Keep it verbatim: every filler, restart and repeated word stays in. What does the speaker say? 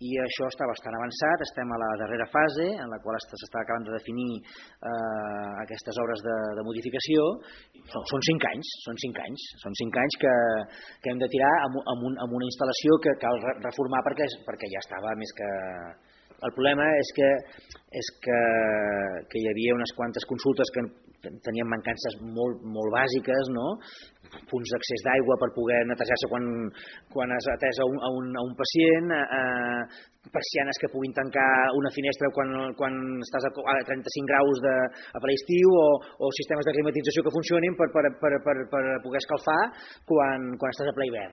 i això està bastant avançat, estem a la darrera fase en la qual s'està acabant de definir eh, aquestes obres de, de modificació. Són, són cinc anys, són cinc anys, són cinc anys que, que hem de tirar amb, amb, un, amb una instal·lació que cal reformar perquè, perquè ja estava més que... El problema és que, és que, que hi havia unes quantes consultes que tenien mancances molt, molt bàsiques, no? Punts d'accés d'aigua per poder netejar-se quan, quan has atès a un, a un, a un pacient, eh, persianes que puguin tancar una finestra quan, quan estàs a trenta-cinc graus de, a ple estiu, o, o sistemes de climatització que funcionin per, per, per, per, per poder escalfar quan, quan estàs a ple hivern.